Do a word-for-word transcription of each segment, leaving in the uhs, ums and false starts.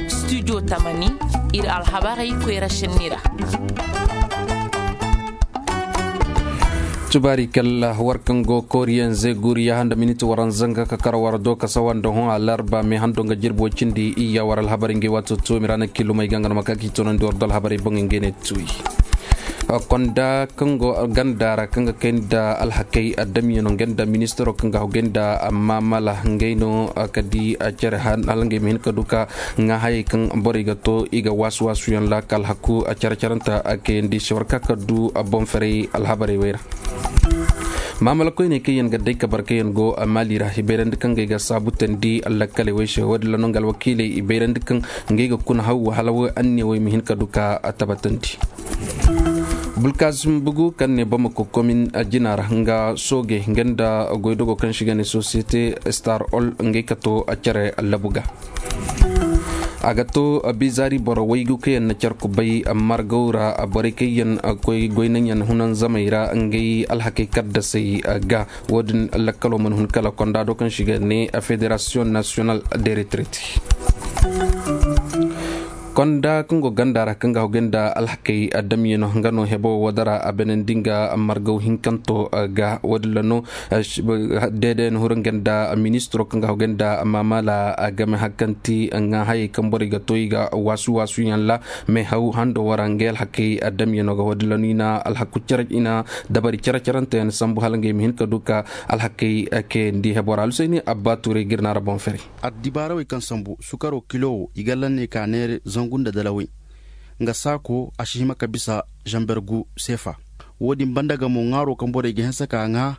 Studio tamani, ir alhabarey koyra šenni ra. Tubaari kalla war kaŋ go kooriyaŋ zeeguriya handa miniti waranza nga ka kar war do ka sawa nda hõ alarba me hando nga jirbi way cindi iyya war alhabarey ngey waato toomi ra na kilumey ga nga no ma ka k'i toonandi war do alhabarey boŋey ngey ne tuuyi. Konda kaŋ go ganda ra kaŋ ga kay nda alhakey adamiyano nga nda ministaro kaŋ ga hawgay nda maamala ngey no ka di care hala ngey ma hin ka du ka ŋaa hayey kaŋ borey ga to i ga waasu-waasuyaŋ ra ka alhaku care-carante kayandi se war ka ka du boŋ ferey alhabarey wey ra. Maamala koyney kaŋ yaŋ ga day ka barkayyaŋ go maali ra i bayrandi kaŋ ngey ga saabu teendi lakkaley wey se wo- din ra no nga alwakiiley i bayrandi kaŋ ngey ga kuna haw hala wo anniya wey ma hin ka du ka tabatandi. Bulkasim bugu kaŋ ne bamako komin jina ra nga sooge nga nda goydogo kaŋ se i ga ne sosiyete star ol ngey ka to care labu ga. A ga to bizaari boro waygu kaŋ yaŋ na care kubay margaw ra borey kaŋ yaŋ koy goynaŋ yaŋ hunanzamey ra ngey alhakey kaddasey ga. Wo- din lakkalo mana hun kala konda do kaŋ se i ga ne federasiyoŋ nasiyonal de retreti. Konda kaŋ go ganda ra kaŋ ga hawgay nda alhakey damyano nga no hebo wo dara a benandi nga margaw hinkanto ga wo- din ra no. Deedeyaŋ huru nga nda ministiro kaŋ ga hawgay nda maamala game hakanti ŋaa hayey kaŋ borey ga to i ga waasu-waasuyaŋ ra. Meehaw hando wara ngey alhakey damyano ga wo- din ra no i na alhaku care i na dabari care-caranteyaŋ sambu hala ngey ma hin ka du ka alhakey kayandi hebo ra alhusayni abba tuurey ga ir naara boŋ fere. Addibaarawey kaŋ sambu sukaro kilo wo i ga lanney ka neere zangu nda dalawey. Nga saako a si hima ka bisa zamber gu seefa. Wo- din banda ga mo ŋaaro kaŋ borey ga hanse ka ŋaa.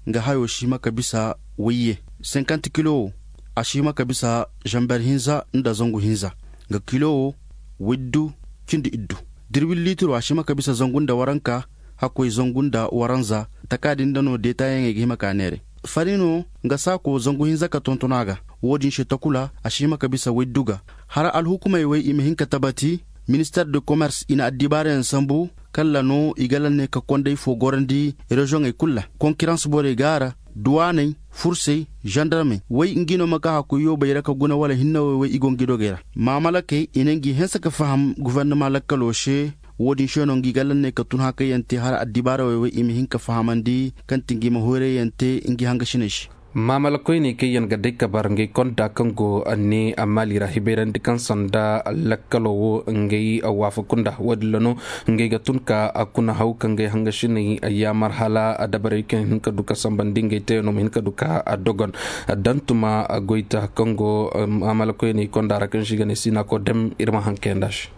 Nga hayo si hima ka bisa wayye. Senkant kilo wo a si hima ka bisa zamber hinza nda zangu hinza. Nga kilo wo waydu cindi iddu. Dirwil liitiro a si hima ka bisa zangu nda waranka. Hakkoy zangu nda waranza. Taka din nda no deetaayaŋey ga hima ka neere. Farino nga saako zangu hinza ka tonton a ga. Wo- din se takula a si hima ka bisa waydu ga. Hara alhukumey wey i ma hin ka tabati. Minister de commerce i na addibaarayaŋ sambu. Kalla no i ga lanney ka konday fo gorandi reziyoŋey kul ra. Konkirans borey go a ra. Duwaaney, fursey, zandarmey wey ngi no ma ka hakkoy yoobey ra ka guna wala hinnawey wey i go ngi dogey ra. Maamalakey i na ngi hanse ka faham gofornama lakkalo se. Wo- din se no ngi ga lanney ka tun hakayyaŋ te hala addibaarawey wey i ma hin ka fahamandi kaŋ ti ngi ma hoyrayaŋ te ngi hangasiney se. Maamala koyney kaŋ yaŋ ga day ka bar ngey konda kaŋ go ne a maali ra hibayrandi kaŋ sanda lakkalo wo ngey waafaku nda wo- din ra no. Ngey ga tun ka kuna haw ka ngey hangasiney yaamar hala dabarey kaŋ hin ka du ka sambandi ngey teyaŋo ma hin ka du ka dogon. Dantuma goyta kaŋ go maamala koyney konda ra kaŋ se i ga ne sinako dem ir ma haŋ kayandi a se.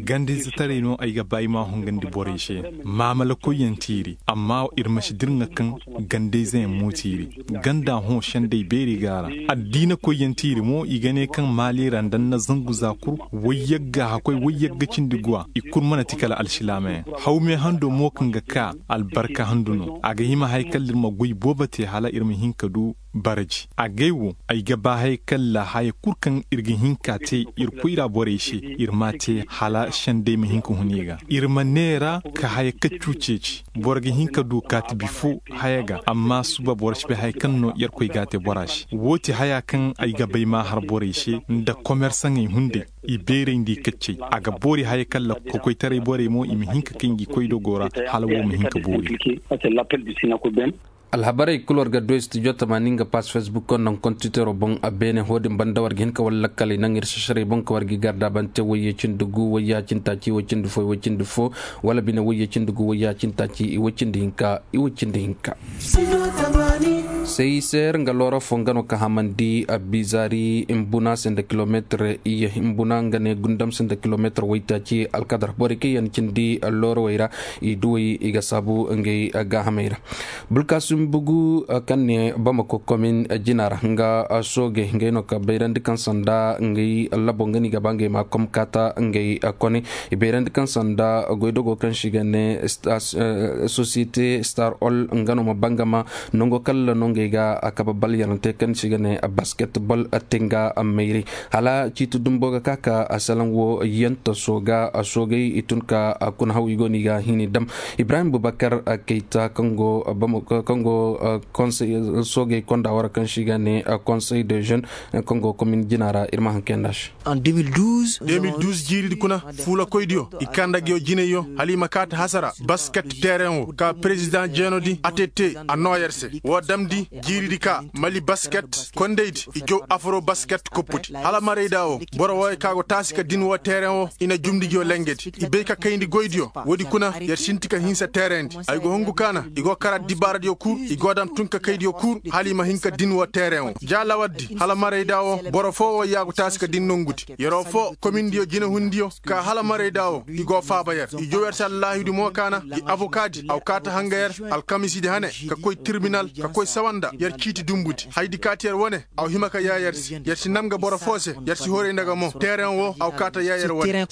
Gandayzetaray no ay ga ba ay ma hongandi borey se. Maamala koyyaŋ tiiri amma ir ma si dirŋa kaŋ gandayzeyaŋ mo tiiri. Ganda hõ sendey beeri go a ra. Addiina koyyaŋ tiiri mo i ga ne kaŋ maali ra nda ni na zangu za kul. Wayyagga hakkoy wayyagga cindi guwa i kul mana ti kala alsilaamayaŋ. Hawme hando mo kaŋ ga ka albarka handu no a ga hima haya kala ir ma goy boobo te hala ir ma hin ka du. Baraji agay wo ay ga ba haya kalla haya kul kaŋ ir ga hin ka te ir koyra borey se. Ir m'a te hala sendey ma hin ka hun i ga ir ma neera ka haya kaccu ceeci. Boro ga hin ka du kaati bifo haya ga amma suba boro si bay haya kaŋ no yerkoy g'a te bora se. Woo ti haya kaŋ ay ga bay maahar borey se nda komersaŋey hunday. I beerayndi kaccey a ga boori haya kalla kokoytaray borey mo i ma hin ka kay ngi koydogo ra. Hala woo ma hin ka boori. Alhabarey kul war ga du studio tamaani nga pass facebook koŋ naŋ kontitero boŋ a beene hoodin banda war ga hin ka wala lakkaley naŋ ir sasarey boŋ ka war ga i garda bante wayye cindi gu wayya cindi taaci wayye cindi fo wala bine wayye cindi gu wayya cindi taaci i wayye cindi hinka i wayye cindi hinka. Sey seer nga looro fo nga no ka hamandi a bizaari imbuna se nda kilomeetir iyye imbuna nga ne gundam se nda kilomeetir waytaaci alkadar borey kaŋ yaŋ cindi loorowey ra. I duwey i ga saabu ngey gaahamey ra. Bulkaasim bugu kaŋ ne bamako komin jina ra nga sooge ngey no ka bayrandi kaŋ sanda ngey labo nga no i ga ba ngey ma komkaata ngey kone. I bayrandi kaŋ sanda goydogo kaŋ se i ga ne sosiyete star ol nga no ma bangama nango kalla no. kay ga a kaba bal yarante kaŋ se i ga ne basket bol, tenga mayray hala ciiti dumbo ga ka ka a salaŋ wo yanta sooga a soogay i tun ka a kuna haw i go no i ga hini dam. Ibrahim bubakar kayta kaŋ go soogay konda wara kaŋ se i ga ne konsey de jeune kaŋ go komin jina ra ir ma hankay nda se. Deux mille douze jiiridi kuna fuulakoydiyo i kanda nguyo jinayyo hala i ma kaati hasara basket teereŋ wo ka perezidaŋ jeenodi a te te a noo yer se woo damndi jiiridi ka mali basket kondaydi i jow afro basket koppudi hala marayda wo boro wooyo ka go taasi ka din woo teereŋ wo i na jumndi nguyo lengedi i bay ka kayndi goydiyo woodi kuna yer sinti ka hinsa teereŋdi ay go hungu kaana i go kara dibaaradiyo kul i go dam tun ka kaydiyo kul hala i ma hin ka din woo teereŋ wo ja lawardi hala marayda wo boro foo woo yaagu taasi ka din nongudi yeroo foo komindiyo jinehundiyo ka hala marayda wo i go faaba yer i jow yer se allaahidu mo kaana i abokaadi aw kaata hanga yer alkamisidi hane ka koy tirbinal ka koy sawa nda yer ciiti dumbudi haydi kaati yer wane aw hima ka yaa yer se yer si nam ga boro foo se yer si horay nda ga mo teereŋ wo aw kaata yaa yer wane.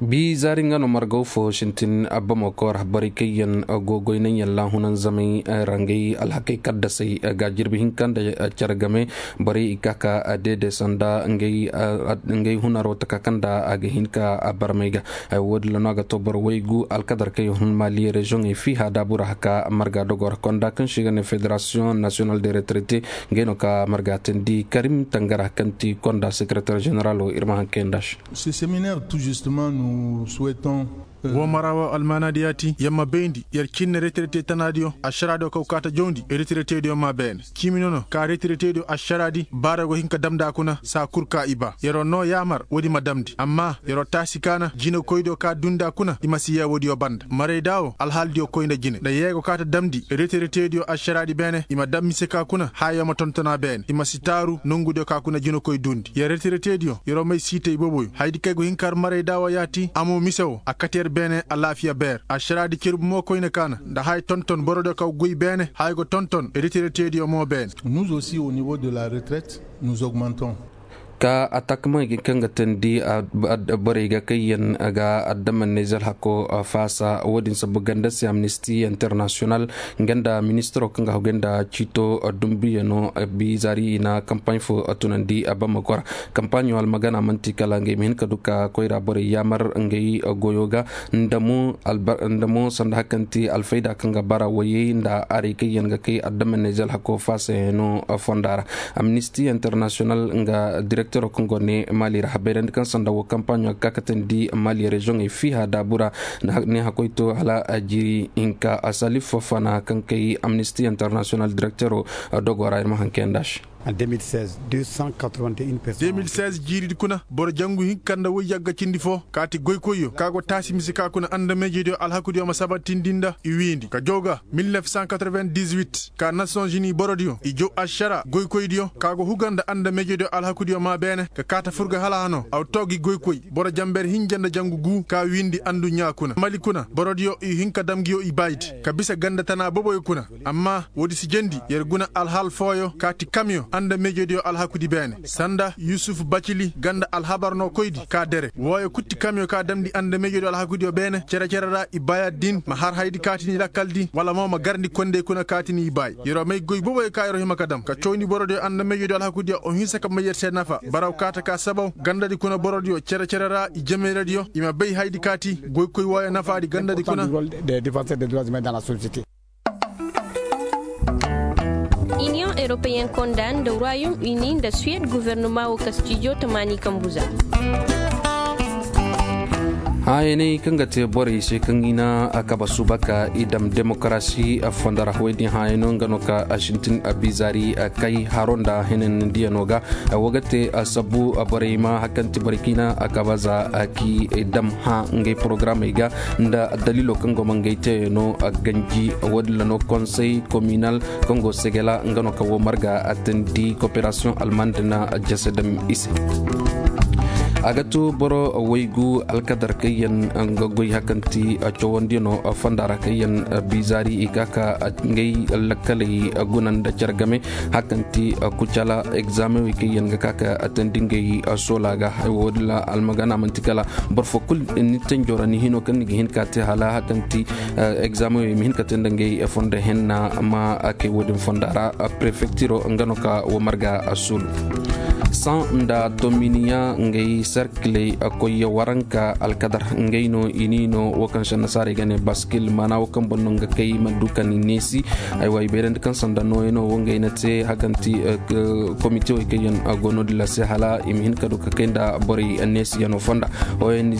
Bi zaari nga no margaw fo sintin abba mo koor borey kaŋ yaŋ go goy naŋ yaŋ laahunan zamey ra ngey alhakey kaddasey ga jirbi hinka nda care game borey i ka ka deede sanda ngey hunaro taka kaŋ nda a ga hin ka barmey ga. Woodin ra no a ga to boro waygu alkadar kaŋ yaŋ hun maali reziyoŋey fiiha daabu ra haka marga dogo ra konda kaŋ se i ga ne federasiyoŋ nasiyonal de retraite ngey no ka marga teendi karim tangara kaŋ ti konda sekereter ženeralo ir ma hankay nda se. Woo mara woo almaanaadi yaati yer ma bayndi yer cinne retirete tanaadiyo ašaraadiyo kaw kaata jawndi retirete diyo maa beene ciimi nono ka retirete diyo ašaraadi baara go hin ka damndi a kuna saa kul ka i baa yeroo noo yaamar woodi ma damndi amma yeroo taasi kaana jinekoydiyo ka duundi a kuna i ma si yee woodiyo banda marayda woo alhaalidiyo koy nda jine nda yee go kaata damndi retirete diyo ašaraadi beene i ma dam mise ka kuna haayo ma tonton a beene i ma si taaru nongudiyo ka kuna jinekoy duundi yer retirete diyo yeroo may siitay boboyo hayadi kay go hin ka har marayda woo yaati a mo mise woo a kate yer beene alaafiya beer ašaraadi cerbu mo koyne kaana nda haya tonton borodiyo kaŋ goy beene haya go tonton retirete diyo mo beene. Nous aussi au niveau de la retraite nous augmentons. Ka atakma kaŋ ga teendi borey ga kayyaŋ ga addaman neezel hako faasa woodin sabu ganda se amnisti international nga nda ministiro kaŋ ga hagu nda ciito dumbiyano bizaari i na kampaaɲ fo tunandi a bamako ra. Kampaaɲo almagana man'ti kala ngey ma hin ka du ka koyra borey yaamar ngey goyo ga nda mo sanda hari kaŋ ti alfayda kaŋ ga bara wayey nda arey kaŋ yaŋ ga kay adama nezel hako faasayano fonda ra. Amnisti international nga direktero kaŋ go ne mali ra habayrandi kaŋ sanda wo kampaaɲo ga ka katandi mali reziyoŋey fiiha daabu ra. Ne hakoy to hala a jiri hinka a salif fofana kaŋ kay amnisti international direktero dogo ra ir ma hankay nda se. Deux mille seize jiiridi kuna boro jangu hinka nda woy yagga cindi foo kaati goykoyyo ka go taasi mise ka kuna andamejediyo alhakudiyo ma sabatindi nda i wiindi ka jaw ga mil nef san katreven-dis-wit ka nasons-unis borodiyo i jaw ašara goykoydiyo ka go huga nda andamejediyo alhakudiyo maa beene ka kaata fur ga hala hano aw too gi goykoy boro janber hinja nda jangu guu ka wiindi anduɲɲaa kuna mali kuna borodiyo i hin ka dam nguyo i baaydi ka bisa ganda tana boboyo kuna. Amma woodi si jendi yer guna alhal fooyo ka ti kamyo andamejediyo alhakudi beene sanda yusuf bacili ganda alhabar no koydi ka dere wooyo kul ti kamyo ka damndi andamejediyo alhakudiyo beene cere-cere ra i baaya din ma har haydi ka ti ni lakkal din wala mo ma garndi kondey kuna ka ti ni i baay yeroo may goy boboyo ka yeroo hima ka dam ka cawndi borodiyo andamejediyo alhakudiyo o hinsa ka may yer se nafa baraw kaata ka sabaw gandadi kuna borodiyo cere-cere ra i jemeyradiyo i ma bay haydi ka ti goykoy wooyo nafaadi gandadi kuna. Iniyoŋ eropeyen konda nda royom uni nda suwed gofornoma wo kastijo tamaani kambuza. Haayaney kaŋ ga te borey se kaŋ i na a kaba suuba ka i dam demokarasi a fonda ra woy din haayano nga no ka a sintin a bizaari a kay haro nda henanandiyano ga. Wo ga te a sabu borey ma hari kaŋ ti borey kaŋ i na a kaba za a k'i dam hã ngey porogaramey ga nda daliilo kaŋ go ma ngey teyano a ganji. Woodin ra no konsey kominal kaŋ go segela nga no kaŋ wo marga a teendi koperasiyoŋ almand na jese dam i se. A ga to boro waygu alkadar kaŋ yaŋ ga goy hakanti cawandiyano fonda ra kaŋ yaŋ bizaari i ka ka ngay lakkaley guna nda care game hakanti kucala egzamewey kaŋ yaŋ ga ka ka tandi ngay soola ga. Wo- din ra almagana manti kala boro fo kulu ni tanjo ra ni hino kaŋ ni ga hin ka te hala hakanti egzamewey ma hin ka te nda ngay fondo henna ma kay wo- din fonda ra. Prefektiro nga no ka wo marga suulu san nda tominiya ngay sarkiley koyya waranka alkadar ngay no i ni no wo kaŋ se annasaarey ga ne baskil maana wo kaŋ boŋ no nga kay ma du ka ni neesi. Aywa i bayrandi kaŋ sanda nooyano wo ngay na te hakanti komite wey kaŋ yaŋ go no- din ra se hala i ma hin ka du ka kay nda borey neesiyano fonda. Ong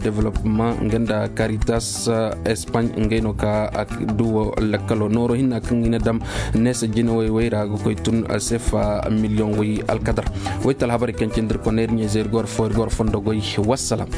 developpement nga nda caritas espagne ngay no ka du wo lakkalo nooro hinna kaŋ i na dam neesa jinawey wey ra ga koy tun sefa miliyoŋ wey alkadar. Wayta alhabarey kaŋ cindi ir koney ir ɲayzey ir go ir fo ir go ir fondo goy. Wassalam.